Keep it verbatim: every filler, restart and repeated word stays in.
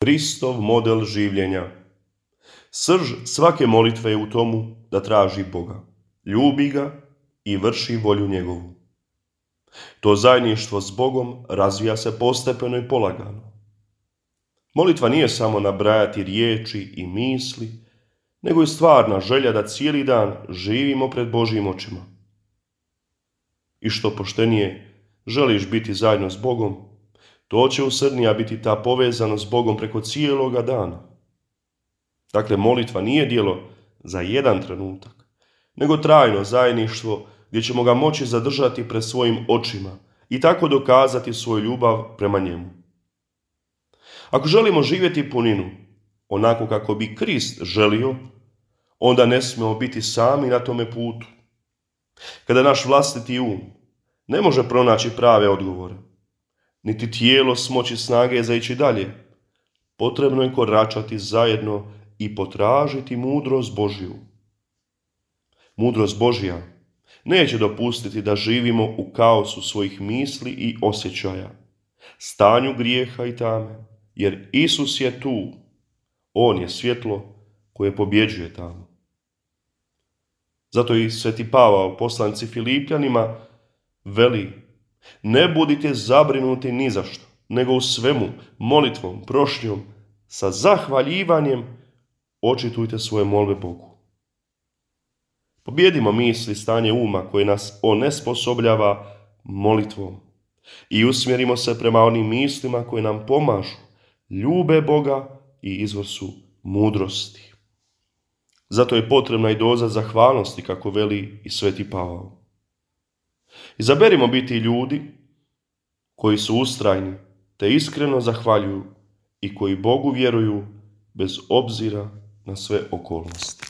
Kristov model življenja. Srž svake molitve je u tomu da traži Boga, ljubi ga i vrši volju njegovu. To zajedništvo s Bogom razvija se postepeno i polagano. Molitva nije samo nabrajati riječi i misli, nego i stvarna želja da cijeli dan živimo pred Božjim očima. I što poštenije želiš biti zajedno s Bogom, to će usrdnija biti ta povezanost s Bogom preko cijeloga dana. Dakle, molitva nije djelo za jedan trenutak, nego trajno zajedništvo gdje ćemo ga moći zadržati pred svojim očima i tako dokazati svoju ljubav prema njemu. Ako želimo živjeti puninu, onako kako bi Krist želio, onda ne smijemo biti sami na tome putu. Kada naš vlastiti um ne može pronaći prave odgovore, niti tijelo smoći snage za ići dalje, potrebno je koračati zajedno i potražiti mudrost Božju. Mudrost Božja neće dopustiti da živimo u kaosu svojih misli i osjećaja, stanju grijeha i tame, jer Isus je tu. On je svjetlo koje pobjeđuje tamu. Zato i sveti Pavao, poslanici Filipljanima, veli: ne budite zabrinuti ni za što, nego u svemu, molitvom, prošnjom, sa zahvaljivanjem očitujte svoje molbe Bogu. Pobjedimo misli, stanje uma koje nas onesposobljava molitvom i usmjerimo se prema onim mislima koje nam pomažu, ljube Boga i izvor su mudrosti. Zato je potrebna i doza zahvalnosti, kako veli i sveti Pavao. Izaberimo biti ljudi koji su ustrajni te iskreno zahvaljuju i koji Bogu vjeruju bez obzira na sve okolnosti.